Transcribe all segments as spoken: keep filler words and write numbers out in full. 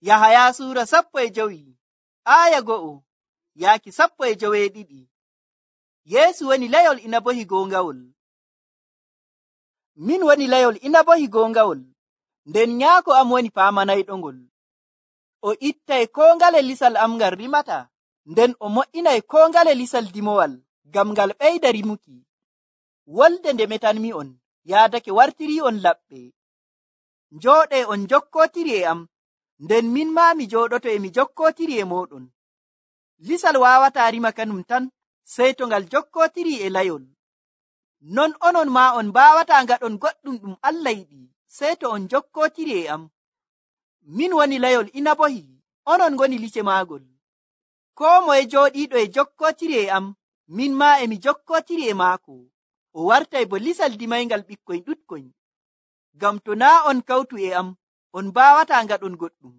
Yahaya suura sappo e jowi aya go'o yaaki sappo e joweeɗiɗi. Yeesu woni layol inabohi goongawol. Min woni layol inabohi goongawol, nden nyaako am woni paamanayɗongol. O ittay koo ngale lisal am ngal rimata, nden o mo'inay koo ngale lisal dimowal ngam ngal ɓeyda rimuki. Wolde nde metanmi'on yaadake wartirii'on laɓɓe. Njooɗee on jokkootiri e am, nden min maa mi jooɗoto e mi jokkootiri e mooɗon. Lisal waawataa rima kanum tan sey to ngal jokkootiri e layol. Non onon maa on mbaawataa ngaɗon goɗɗum ɗum Allah yiɗi sey to on jokkootiri e am. Min woni layol inabohi, onon ngoni lice maagol. Koo moye jooɗiiɗo e jokkootiri e am, min maa e mi jokkootiri e maako. O wartay bo lisal dimayngal ɓikkoy ɗuɗkoy. Ngam to naa on kawtu e am, on mbaawataa ngaɗon goɗɗum.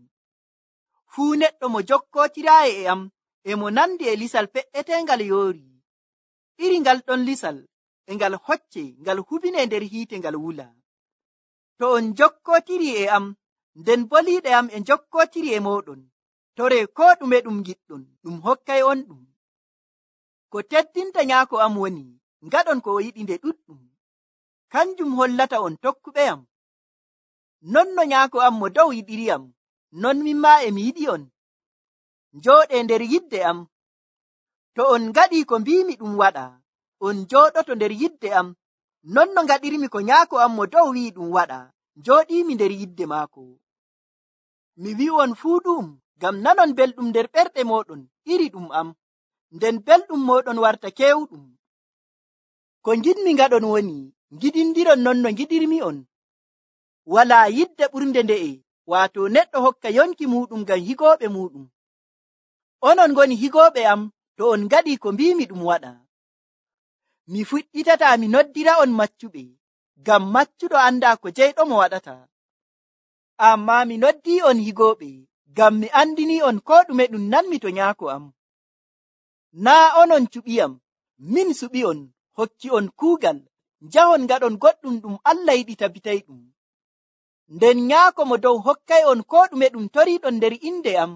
Fuu neɗɗo mo jokkootiraayi e am e mo nandi e lisal pe'eteengal yoori. Iri ngal ɗon lisal e ngal hocce ngal hubinee nder hiite ngal wula. To on jokkootiri e am, nden boliiɗe am e jokkootiri e mooɗon, toree koo ɗume ɗum giɗɗon, ɗum hokkay on ɗum. Ko teddinta nyaako am woni, ngaɗon ko o yiɗi nde ɗuɗɗum. Kanjum hollata on tokkuɓeyam. Non no nyaako am mo dow yiɗiriyam, non min maa e mi yiɗi on. Njooɗee nder yidde am. To on ngaɗii ko mbiimi ɗum waɗa, on jooɗoto nder yidde am, non no ngaɗirmi ko nyaako am mo dow wi'i ɗum waɗa, njooɗiimi nder yidde maako. Mi wi'on fuu ɗum ngam nanon belɗum nder ɓerɗe mooɗon iri ɗum am, nden belɗum mooɗon warta keewɗum. Ko ngiɗmi ngaɗon woni, ngiɗindiron non no ngiɗirmi'on. Walaa yidde ɓurnde nde'e, waato neɗɗo hokka yonki muuɗum ngam higooɓe muuɗum. Onon ngoni higooɓe am to on ngaɗii ko mbiimi ɗum waɗa. Mi fuɗɗitataa mi noddira'on maccuɓe, ngam maccuɗo andaa ko jeyɗomo waɗata. Ammaa mi noddii'on higooɓe, ngam mi andinii'on koo ɗume ɗum nanmi to nyaako am. Naa onon cuɓiyam, min suɓi'on, hokki'on kuugal, njahon ngaɗon goɗɗum ɗum Allah yiɗi tabitayɗum. Nden nyaako mo dow hokkay'on koo ɗume ɗum toriiɗon nder inde am.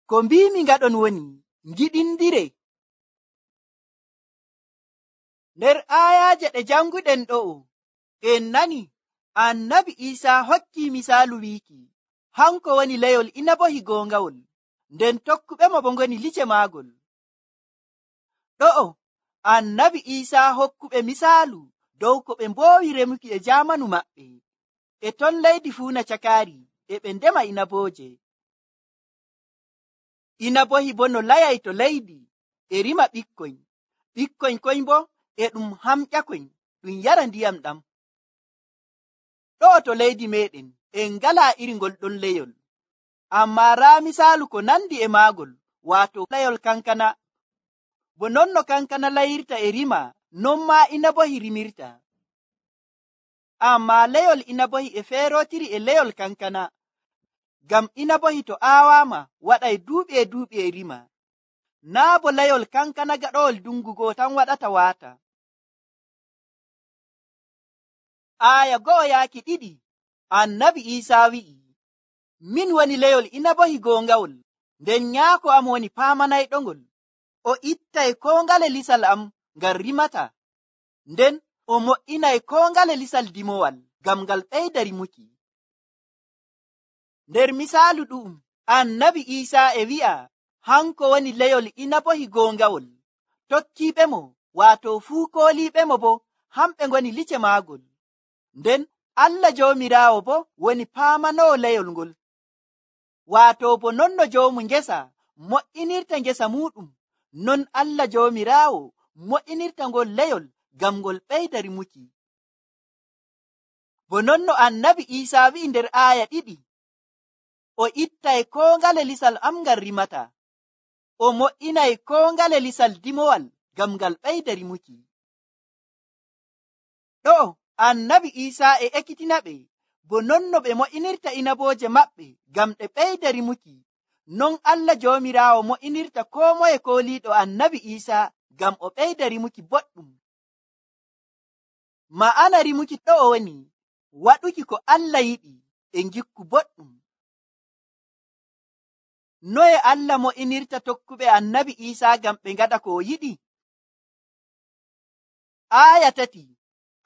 Ko mbiimi ngaɗon woni, ngiɗindire. Nder aayaaje ɗe janguɗen ɗo'o, en nani Annabi Iisaa hokkii misaalu wiiki, hanko woni layol inabohi goongawol, nden tokkuɓe mo bo ngoni lice maagol. Ɗo'o Annabi Iisaa hokkuɓe misaalu dow ko ɓe mboowi remuki e jaamanu maɓɓe, e ton leydi fuuna cakaari e ɓe ndema inabooje. Inabohi bo no layay to leydi e rima ɓikkoy, ɓikkoy koy bo e ɗum hamƴakoy ɗum yara ndiyam ɗam. Ɗo'o to leydi meɗen en ngalaa iri ngol ɗon leyol, ammaa raa misaalu ko nandi e maagol, waato layol kankana. Bo non no kankana layirta e rima, non maa inabohi rimirta. Ammaa layol inabohi e feerootiri e layol kankana, ngam inabohi to aawaama waɗay duuɓi e duuɓi e rima. Naa bo layol kankana gaɗowol dungu goo tan waɗata waata. Aya go'o yaaki ɗiɗi, Annabi Iisaa wi'i, min woni layol inabohi goongawol, nden nyaako am woni paamanayɗongol. O ittay koo ngale lisal am ngal rimata, nden o mo'inay koo ngale lisal dimowal ngam ngal ɓeyda rimuki. Nder misaalu ɗu'um, Annabi Iisaa e wi'a hanko woni layol inabohi goongawol. Tokkiiɓe mo, waato fuu kooliiɓe mo bo, hamɓe ngoni lice maagol. Nden Allah Joomiraawo bo woni paamanoowo layol ngol. Waato bo non no joomu ngesa mo'inirta ngesa muuɗum, non Allah Joomiraawo mo'inirta ngol layol ngam ngol ɓeyda rimuki. Bo non no Annabi Iisaa wi'i nder aaya ɗiɗi, o ittay koo ngale lisal am ngal rimata, o mo'inay koo ngale lisal dimowal ngam ngal ɓeyda rimuki. Ɗo'o Annabi Iisaa e ekkitina ɓe, bo non no ɓe mo'inirta inabooje maɓɓe ngam ɗe ɓeyda rimuki, non Allah Joomiraawo mo'inirta koo moye kooliiɗo Annabi Iisaa ngam o ɓeyda rimuki boɗɗum. Ma'ana rimuki ɗo'o woni waɗuki ko Allah yiɗi e ngikku boɗɗum. noye Allah mo'inirta tokkuɓe annabi Iisaa ngam ɓe ngaɗa ko o yiɗi? Aaya tati,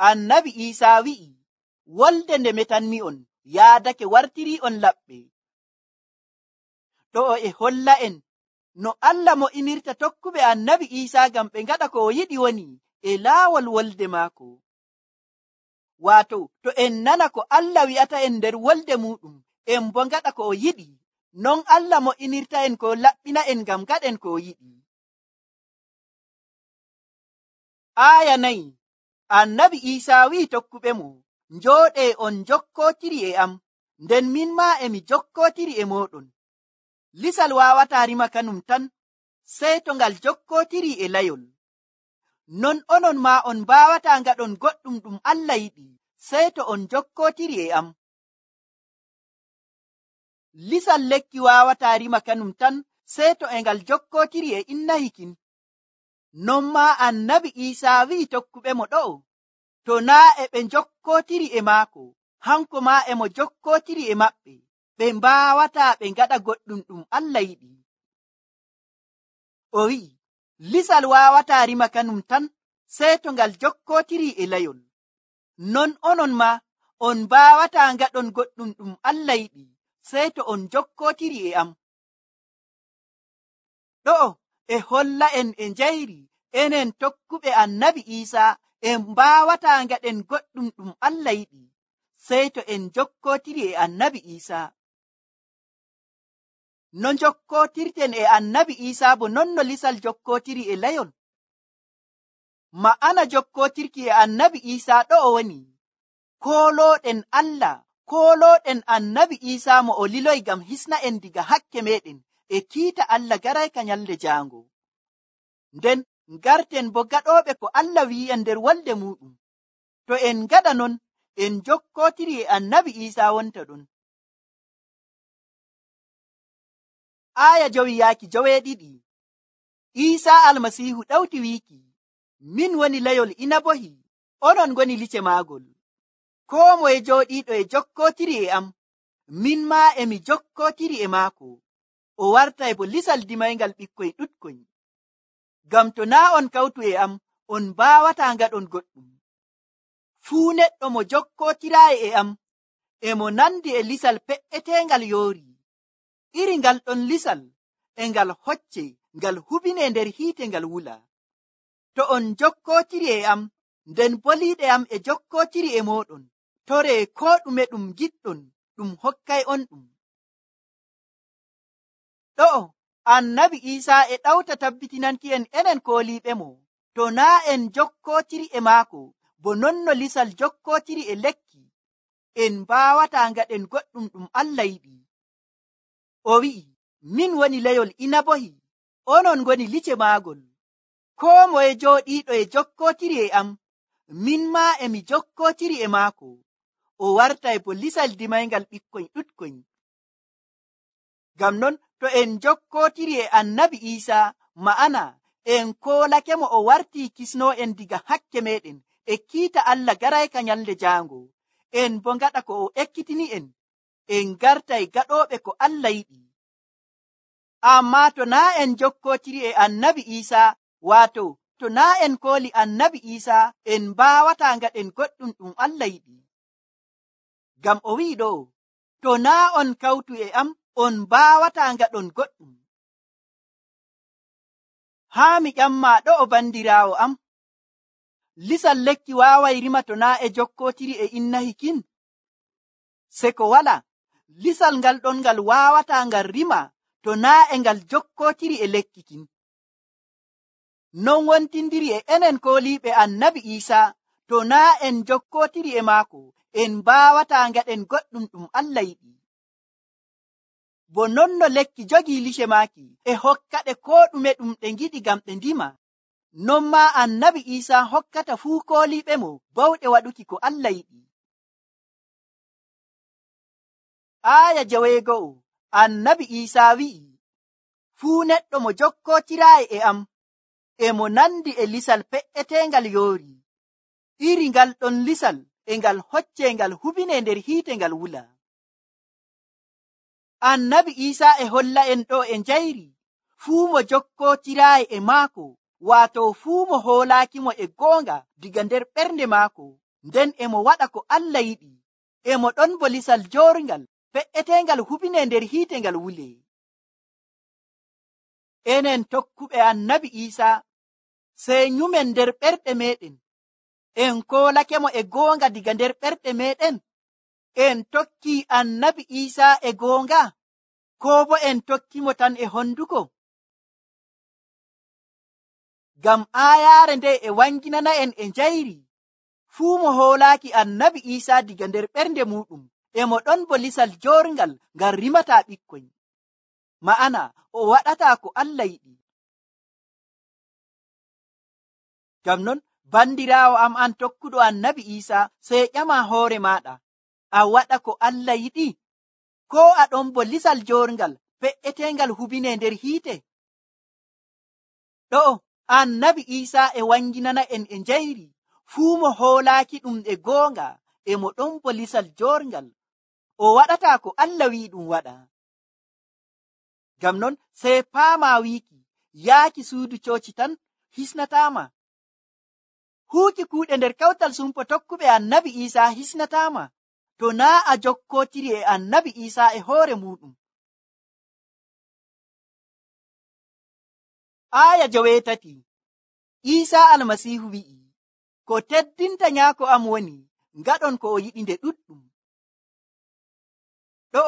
annabi Iisaa wi'i, wolde nde metanmi'on yaadake wartirii'on laɓɓe. Ɗo e holla en no Allah mo'inirta tokkuɓe annabi Iisaa ngam ɓe ngaɗa ko o yiɗi woni e laawol wolde maako. Waato, to en nana ko Allah wi'ata en nder wolde muɗum, en bo ngaɗa ko o yiɗi, non Allah mo'inirta en ko laɓɓina en ngam gaɗen ko o yiɗi. Aaya nayi, annabi Iisaa wi'i tokkuɓe mo, njooɗee on jokkootiri e am, nden min maa emi jokkootiri e mooɗon. Lisal waawataa rima kanum tan, sey to ngal jokkootiri e layol. Non onon maa on mbaawataa ngaɗon goɗɗum ɗum Allah yiɗi, sey to on jokkootiri e am. Lisal lekki waawataa rima kanum tan, sey to e ngal jokkootiri e inna hikin. Non maa annabi Iisaa wi'i tokkuɓe mo ɗo'o, to naa e ɓe jokkootiri e maako, hanko maa e mo jokkootiri e maɓɓe, ɓe mbaawataa ɓe ngaɗa goɗɗum ɗum Allah yiɗi. O wi'i, lisal waawataa rima kanum tan, sey to ngal jokkootiri e layol. Non onon maa on mbaawataa ngaɗon goɗɗum ɗum Allah yiɗi, sey to on jokkootiri e am. Ɗo'o e holla en e njayri enen tokkuɓe annabi Iisaa en mbaawataa ngaɗen goɗɗum ɗum Allah yiɗi, sey to en jokkootiri e annabi Iisaa. No jokkootirten e annabi Iisaa bo non no lisal jokkootiri e layol. Ma'ana jokkootirki e annabi Iisaa ɗo'o woni, koolooɗen Allah, koolooɗen annabi Iisaa mo o liloy ngam hisna en diga hakke meɗen e kiita Allah garayka nyalde jaango. Nden ngarten bo gaɗooɓe ko Allah wi'i en nder wolde muɗum. To en ngaɗa non, en jokkootiri e annabi Iisaa wonta ɗon. Aaya jowi yaaki joweeɗiɗi. Iisaa almasiihu ɗawti wiiki, min woni layol inabohi, onon ngoni lice maagol. Koo moye jooɗiiɗo e jokkootiri e am, min maa emi jokkootiri e maako. O wartay bo lisal dimayngal ɓikkoy ɗuɗkoy. Ngam to naa on kawtu e am, on mbaawataa ngaɗon goɗɗum. Fuu neɗɗo mo jokkootiraayi e am, e mo nandi e lisal pe'eteengal yoori. Iri ngal ɗon lisal e ngal hocce ngal hubine nder hiite ngal wula. To on jokkootiri e am, nden boliiɗe am e jokkootiri e mooɗon, toree koo ɗume ɗum giɗɗon, ɗum hokkay on ɗum. Ɗo'o annabi Iisaa e ɗawta tabbitinanki en enen kooliiɓe mo, to naa en jokkootiri e maako, bo non no lisal jokkootiri e lekki, en mbaawataa ngaɗen goɗɗum ɗum Allah yiɗi. O wi'i, min woni layol inabohi, onon ngoni lice maagol. Koo moye jooɗiiɗo e jokkootiri e am, min maa emi jokkootiri e maako. O wartay bo lisal dimayngal ɓikkoy ɗuɗkoy. Ngam non to en jokkootiri e annabi Iisaa, ma'ana en koolake mo o wartii kisnoo en diga hakke meɗen e kiita Allah garayka nyalde jaango. En bo ngaɗa ko o ekkitini en, en gartay gaɗooɓe ko Allah yiɗi. Ammaa to naa en jokkootiri e annabi Iisaa, waato to naa en kooli annabi Iisaa, en mbaawataa ngaɗen goɗɗum ɗum Allah yiɗi. Ngam o wi'i ɗo, to naa on kawtu e am, on mbaawataa ngaɗon goɗɗum. Haa mi ƴammaa ɗo'o bandiraawo am, lisal lekki waaway rima to naa e jokkootiri e inna hikin? Se ko wala, lisal ngal ɗon ngal waawataa ngal rima to naa e ngal jokkootiri e lekki kin. Non wontindiri e enen kooliiɓe annabi Iisaa, to naa en jokkootiri e maako, en mbaawataa ngaɗen goɗɗum ɗum Allah yiɗi. Bo non no lekki jogii lice maaki e hokkaɗe koo ɗume ɗum ɗe ngiɗi ngam ɗe ndima, non maa annabi Iisaa hokkata fuu kooliiɓe mo bawɗe waɗuki ko Allah yiɗi. Aaya joweego'o, annabi Iisaa wi'i, fuu neɗɗo mo jokkootiraayi e am, e mo nandi e lisal pe'eteengal yoori. Iri ngal ɗon lisal e ngal hocce ngal hubine nder hiite ngal wula. annabi Iisaa e holla en ɗo e njayri fuu mo jokkotiraayi e maako, waato fuu mo hoolaakimo e goonga diga nder ɓernde maako, nden e mo waɗa ko Allah yiɗi, e mo ɗon bo lisal joorngal fe'eteengal hubinee nder hiite ngal wulee. Enen tokkuɓe annabi Iisaa sey nyumen nder ɓerɗe meɗen, en koolakemo e goonga diga nder ɓerɗe meɗen, en tokki annabi Iisaa e goonga, koo bo en tokkimo tan e honduko? Ngam aayaare nde e wanginana en e njayri fuu mo hoolaaki annabi Iisaa diga nder ɓernde muɗum, e mo ɗon bo lisal joorngal ngal rimataa ɓikkoy, ma'ana o waɗataa ko Allah yiɗi. Ngam non bandiraawo am an tokkuɗo annabi Iisaa, sey ƴama hoore maaɗa, a waɗa ko Allah yiɗi, koo a ɗon bo lisal joorngal fe'eteengal hubinee nder hiite? Ɗo annabi Iisaa e wanginana en e njayri fuu mo hoolaaki ɗum e goonga, e mo ɗon bo lisal joorngal, o waɗataa ko Allah wi'i ɗum waɗa. Ngam non sey paama wiiki yaaki suudu cooci tan hisnataama, huuki kuuɗe nder kawtal sumpo tokkuɓe annabi Iisaa hisnataama, to naa a jokkootiri e annabi Iisaa e hoore muɗum. Aaya joweetati, Iisaa almasiihu wi'i, ko teddinta nyaako am woni ngaɗon ko o yiɗi nde ɗuɗɗum. Ɗo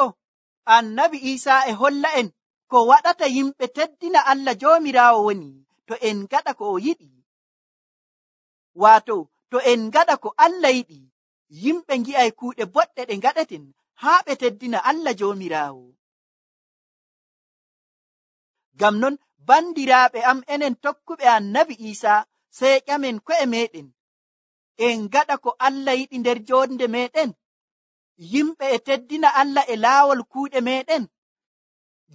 annabi Iisaa e holla en ko waɗata yimɓe teddina Allah Joomiraawo woni to en ngaɗa ko o yiɗi. Waato to en ngaɗa ko Allah yiɗi, yimɓe ngi'ay kuuɗe boɗɗe ɗe ngaɗeten haa ɓe teddina Allah Joomiraawo. Ngam non bandiraaɓe am, enen tokkuɓe annabi Iisaa, sey ƴamen ko'e meɗen, en ngaɗa ko Allah yiɗi nder jonde meɗen. Yimɓe e teddina Allah e laawol kuuɗe meɗen,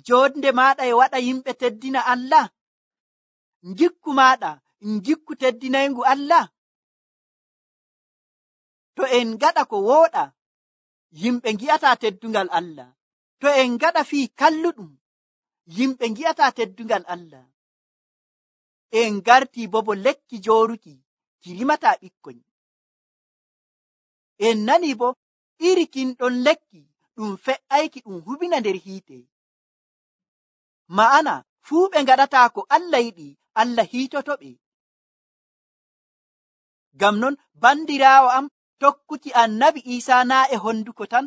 jonde maaɗa e waɗa yimɓe teddina Allah, ngikku maaɗa ngikku teddinayngu Allah. To en ngaɗa ko wooɗa, yimɓe ngi'ataa teddungal Allah. To en ngaɗa fii kalluɗum, yimɓe ngi'ataa teddungal Allah. En gartii bo bo lekki jooruki ki rimataa ɓikkoy. En nani bo iri kin ɗon lekki ɗum fe'ayki ɗum hubina nder hiite. Ma'ana fuu ɓe ngaɗataa ko Allah yiɗi, Allah hiitotoɓe. Ngam non bandiraawo am, tokkuki annabi Iisaa naa e honduko tan,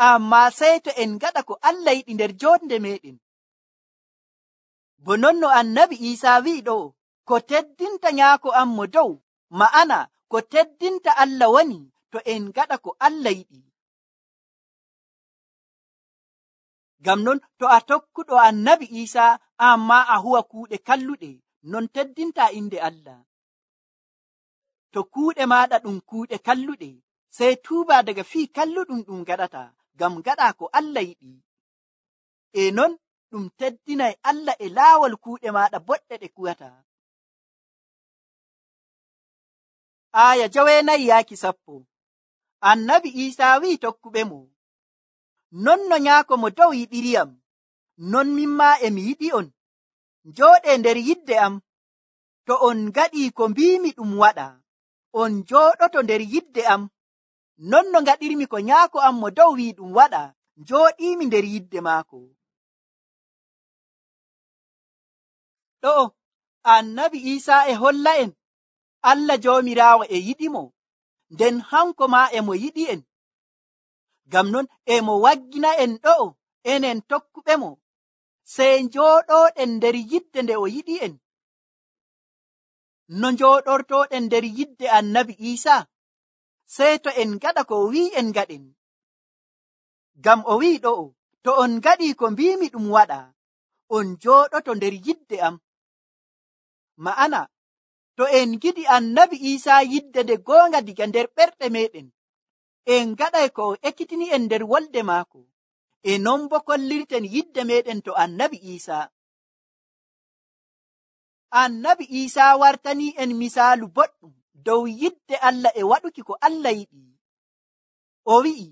ammaa sey to en ngaɗa ko Allah yiɗi nder jonde meɗen. Bo non no annabi Iisaa wi'i ɗo, ko teddinta nyaako am mo dow, ma'ana ko teddinta Allah woni to en ngaɗa ko Allah yiɗi. Ngam non to a tokkuɗo annabi Iisaa ammaa a huwa kuuɗe kalluɗe, non teddinta inde Allah. To kuuɗe maaɗa ɗum kuuɗe kalluɗe, sey tuuba daga fii kalluɗum ɗum gaɗata, ngam gaɗa ko Allah yiɗi. E non ɗum teddinay Allah e laawol kuuɗe maaɗa boɗɗe ɗe kuwata. Aya joweenayi yaaki sappo. Annabi Iisaa wi'i tokkuɓe mo, non no nyaako mo dow yiɗiriyam, non mimmaa e mi yiɗi on. Njooɗee nder yidde am. To on ngaɗii ko mbiimi ɗum waɗa, on njooɗoto nder yidde am. Non no ngaɗirmi ko nyaako am mo dow wi'i ɗum waɗa, njooɗiimi nder yidde maako. Ɗo annabi Iisaa e holla en Allah Joomiraawo e yiɗi mo, nden hanko maa e mo yiɗi en. Ngam non e mo waggina en ɗo enen tokkuɓe mo, sey njooɗoɗen nder yidde nde o yiɗi en. No njooɗortoɗen nder yidde annabi Iisaa, sey to en ngaɗa ko o wi'i en ngaɗen. Ngam o wi'i ɗo, to on ngaɗii ko mbiimi ɗum waɗa, on njooɗoto nder yidde am. Ma'ana to en giɗi annabi Iisaa yidde nde goonga diga nder ɓerɗe meɗen, en ngaɗay ko o ekkitini en nder wolde maako, e non bo kollirten yidde meɗen to annabi Iisaa. Annabi Iisaa wartanii en misaalu boɗɗum dow yidde Allah e waɗuki ko Allah yiɗi. O wi'i,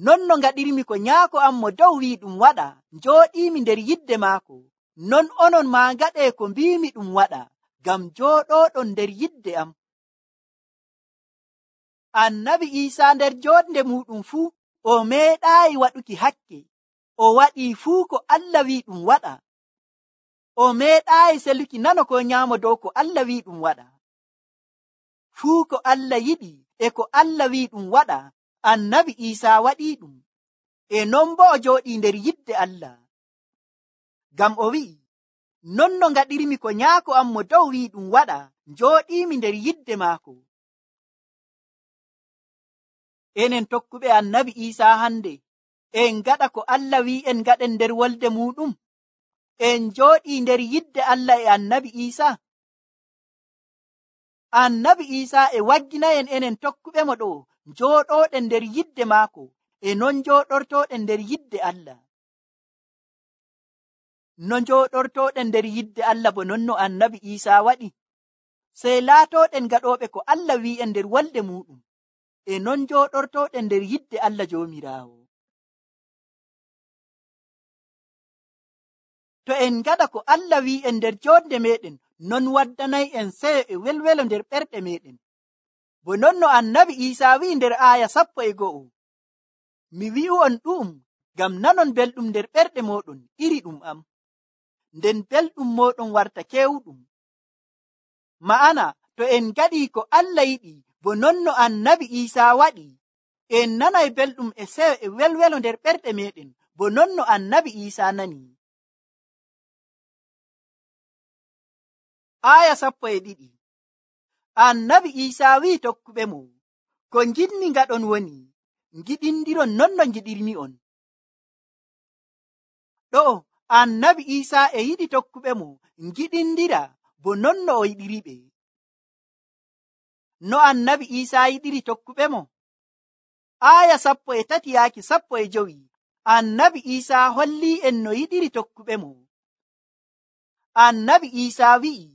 non no ngaɗirmi ko nyaako am mo dow wi ɗum waɗa, njooɗiimi nder yidde maako, non onon maa ngaɗee ko mbiimi ɗum waɗa, ngam jooɗooɗon nder yidde am. Annabi Iisaa nder jooɗnde muɗum fuu o meeɗaayi waɗuki hakke, o waɗii fuu ko Allah wi ɗum waɗa. O meeɗaayi seluki nano ko nyaamo dow ko Allah wi ɗum waɗa. Fuu ko Allah yiɗi e ko Allah wi ɗum waɗa, Annabi Iisaa waɗii ɗum, e non bo o jooɗii nder yidde Allah. Ngam o wi'i, non no ngaɗirmi ko nyaako am mo dow wi ɗum waɗa, njooɗiimi nder yidde maako. Enen tokkuɓe Annabi Iisaa hande, en ngaɗa ko Allah wi en ngaɗen nder wolde muɗum? En jooɗii nder yidde Allah e Annabi Iisaa? Annabi Iisaa e wagginayen enen tokkuɓe mo ɗo njooɗooɗen nder yidde maako, e non njooɗortooɗen nder yidde Allah. No njooɗortooɗen nder yidde Allah bo non no Annabi Iisaa waɗi, sey laatooɗen gaɗooɓe ko Allah wi en nder wolde muɗum, e non njooɗortooɗen nder yidde Allah Joomiraawo. To en ngaɗa ko Allah wi en nder joodde meɗen, non waddanay en seyo e welwelo nder ɓerɗe meɗen. Bo non no Annabi Iisaa wi nder aaya sappo e go'o, mi wi'u on ɗu'um ngam nanon belɗum nder ɓerɗe moɗon iri ɗum am, nden belɗum moɗon warta kewɗum. Ma'ana, to en ngaɗii ko Allah yiɗi, bo non no Annabi Iisaa waɗi, en nanay belɗum e seyo e welwelo nder ɓerɗe meɗen, bo non no Annabi Iisaa nani. Aya sappo e ɗiɗi. Annabi Iisaa wi tokkuɓe mo, ko ngiɗmi ngaɗon woni, ngiɗindiron non no ngiɗirmi on. Ɗo Annabi Iisaa e yiɗi tokkuɓe mo ngiɗindira bo non no o yiɗiriɓe. No Annabi Iisaa yiɗiri tokkuɓe mo? Aya sappo e tati yaaki sappo e jowi, Annabi Iisaa holli en no yiɗiri tokkuɓe mo. Annabi Iisaa wi'i,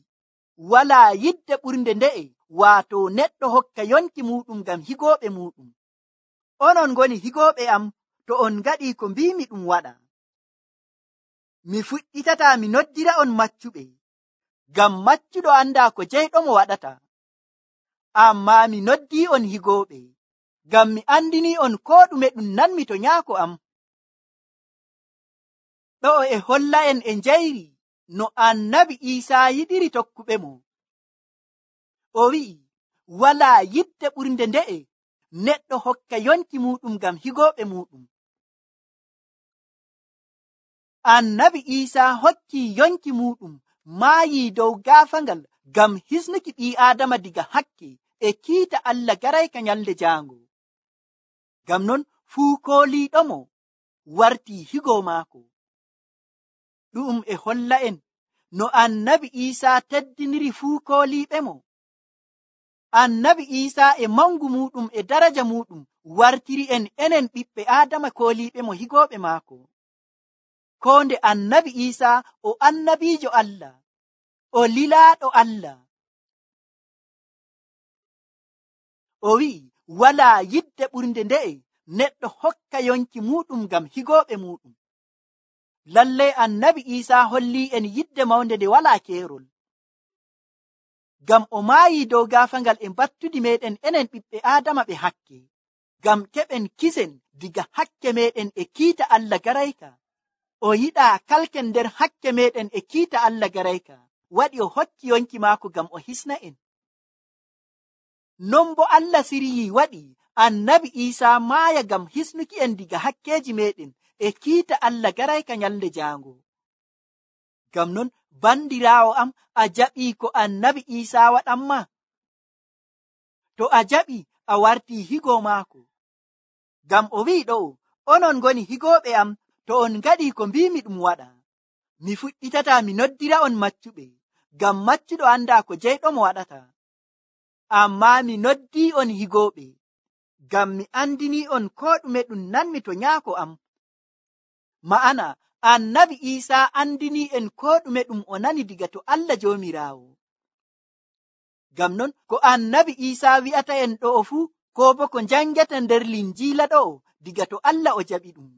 walaa yidde ɓurnde nde'e, waato neɗɗo hokka yonki muɗum ngam higooɓe muɗum. Onon ngoni higooɓe am to on ngaɗii ko mbiimi ɗum waɗa. Mi fuɗɗitataa mi noddira on maccuɓe, ngam maccuɗo andaa ko jeyɗomo waɗata. Ammaa mi noddii on higooɓe, ngam mi andinii on koo ɗume ɗum nanmi to nyaako am. Ɗo e holla en e njayri no Annabi Iisaa yiɗiri tokkuɓe mo. O wi'i, walaa yidde ɓurnde nde'e neɗɗo hokka yonki muɗum ngam higooɓe muɗum. Annabi Iisaa hokki yonki muɗum maayii dow gaafangal ngam hisnuki ɓii Aadama diga hakke e kiita Allah garayka nyalde jaango. Ngam non fuu kooliiɗomo wartii higoo maako. Ɗum e holla en no Annabi Iisaa teddiniri fuu kooliiɓe mo. Annabi Iisaa e mangu muɗum e daraja muɗum wartiri en enen ɓiɓɓe Aadama kooliiɓe mo higooɓe maako. Ko nde Annabi Iisaa o annabiijo Allah, o lilaaɗo Allah. O wi'i, walaa yidde ɓurnde nde'e neɗɗo hokka yonki muɗum ngam higooɓe muɗum. Lallay Annabi Iisaa holli en yidde mawnde nde walaa keerol. Ngam o maayii dow gaafangal e battudi meɗen enen ɓiɓɓe Aadama ɓe hakke, ngam keɓen kisen diga hakke meɗen e kiita Allah garayka. O yiɗaa kalken nder hakke meɗen e kiita Allah garayka, waɗi o hokki yonki maako ngam o hisna en. Non bo Allah siryii waɗi Annabi Iisaa maaya ngam hisnuki en diga hakkeeji meɗen e kiita Allah garayka nyalde jaango. Ngam non bandiraawo am, a jaɓii ko Annabi Iisaa waɗanma? To a jaɓi, a wartii higoo maako. Ngam o wi'i ɗo, onon ngoni higooɓe am to on ngaɗii ko mbiimi ɗum waɗa. Mi fuɗɗitataa mi noddira on maccuɓe, ngam maccuɗo andaa ko jeyɗomo waɗata. Ammaa mi noddii on higooɓe, ngam mi andinii on koo ɗume ɗum nanmi to nyaako am. Ma'ana, Annabi Iisaa andinii en koo ɗume ɗum o nani diga to Allah Joomiraawo. Ngam non ko Annabi Iisaa wi'ata en ɗo fuu, ko bo ko njangata nder Linjiila ɗo, diga to Allah o jaɓi ɗum.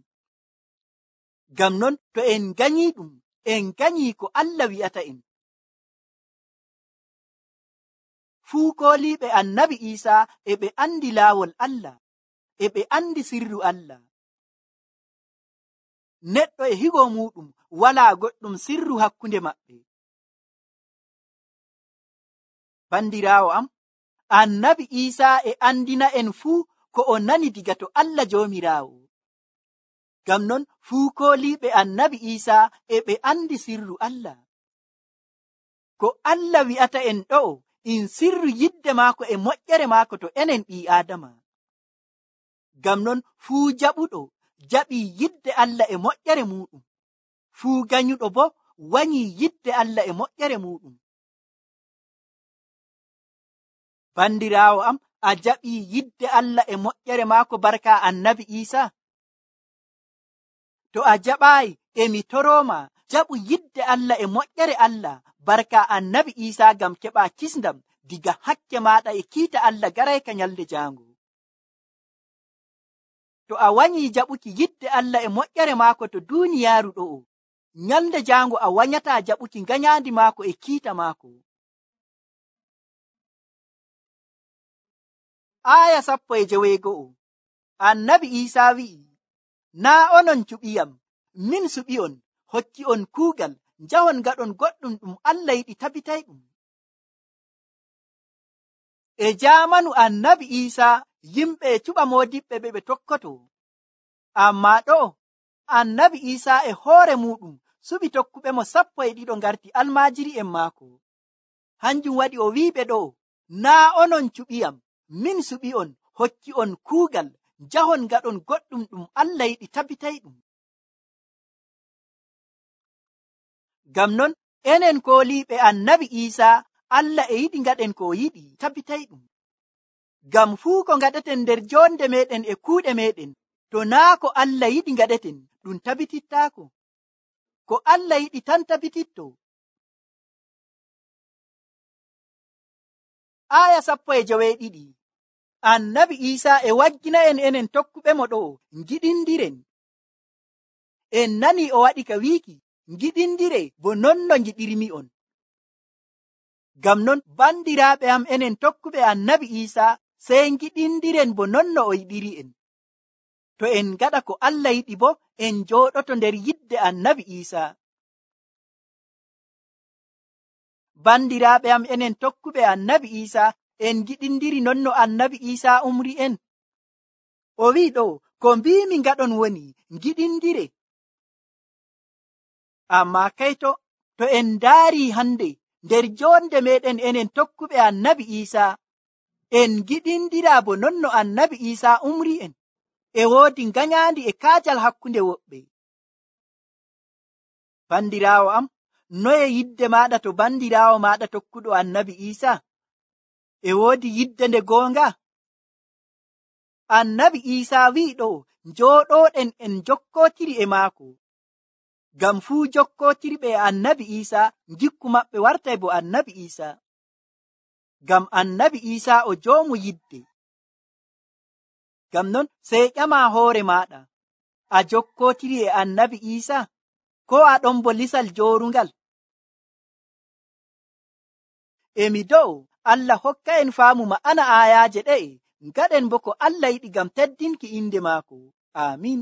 Ngam non to en ganyi ɗum, en ganyi ko Allah wi'ata en. Fuu kooliiɓe annabi Iisa e ɓe andi laawol Allah, e ɓe andi sirru Allah. Neɗɗo e higo muɗum walaa goɗɗum sirru hakkunde maɓɓe. Bandiraawo am, annabi Iisa e andina en fuu ko o nani diga to Allah Joomiraawo. Ngam non fuu kooliiɓe annabi Iisa e ɓe andi sirru Allah. Ko Allah wi'ata en ɗo'o in sirru yidde maako e moƴƴere maako to enen ɓii Aadama. Ngam non fuu jaɓuɗo jaɓii yidde Allah e moƴƴere muɗum, fuu ganyuɗo bo wanyii yidde Allah e moƴƴere muɗum. Bandiraawo am, a jaɓii yidde Allah e moƴƴere maako barka annabi Iisa? To a jaɓaayi, e mi torooma jaɓu yidde Allah e moƴƴere Allah barka annabi Iisa ngam keɓa kisndam diga hakke maaɗa e kiita Allah garayka nyalde jaango. To a wanyii jaɓuki yidde Allah e moƴƴere maako to duuniyaaru ɗo'o, nyalde jaango a wanyataa jaɓuki ganyaandi maako e kiita maako. Aya sappo e joweego'o, annabi Iisa wi'i, naa onon cuɓiyam, min suɓi'on, hokki on kuugal, njahon gaɗon goɗɗum ɗum Allah yiɗi tabitayɗum. E jaamanu annabi Iisa yimɓe e cuɓa moodiɓɓe ɓe ɓe tokkoto. Ammaa ɗo'o annabi Iisa e hoore muɗum suɓi tokkuɓe mo sappo e ɗiɗo ngarti almaajiri en maako. Hanjum waɗi o wi'iɓe ɗo'o, naa onon cuɓiyam, min suɓi'on, hokki on kuugal, njahon gaɗon goɗɗum ɗum Allah yiɗi tabitayɗum. Ngam non enen kooliiɓe annabi Iisa, Allah e yiɗi ngaɗen ko yiɗi tabitayɗum. Ngam fuu ko ngaɗeten nder jonde meɗen e kuuɗe meɗen, to naa ko Allah yiɗi ngaɗeten, ɗum tabitittaako. Ko Allah yiɗi tan tabititto. Aya sappo e joweeɗiɗi, annabi Iisa e waggina en enen tokkuɓe mo ɗo, ngiɗindiren. En nani o waɗi ka wiiki, ngiɗindire bo non no ngiɗirmi on. Ngam non bandiraaɓe am enen tokkuɓe annabi Iisa, sey ngiɗindiren bo non no o yiɗiri en. To en ngaɗa ko Allah yiɗi bo en jooɗoto nder yidde annabi Iisa. Bandiraaɓe am enen tokkuɓe annabi Iisa, en giɗindiri non no annabi Iisa umri en. O wi'i ɗo, ko mbiimi ngaɗon woni giɗindire. Ammaa kayto to en ndaari hande nder jonde meɗen enen tokkuɓe annabi Iisa, en giɗindira bo non no annabi Iisa umri en. E woodi ganyaandi e kaajal hakkunde woɓɓe. Bandiraawo am, noye yidde maaɗa to bandiraawo maaɗa tokkuɗo annabi Iisa? E woodi yidde nde goonga? Annabi Iisa wi'i ɗo, njooɗooɗen en jokkootiri e maako. Ngam fuu jokkootiriɓe e annabi Iisa, gikku maɓɓe wartay bo annabi Iisa. Ngam annabi Iisa o joomu yidde. Ngam non sey ƴama hoore maaɗa, a jokkootiri e annabi Iisa, ko a ɗon bo lisal joorungal? Emi do'o Allah hokka en faamu ma'ana aayaaje ɗe'e, ngaɗen bo ko Allah yiɗi ngam teddinki inde maako. Amiin.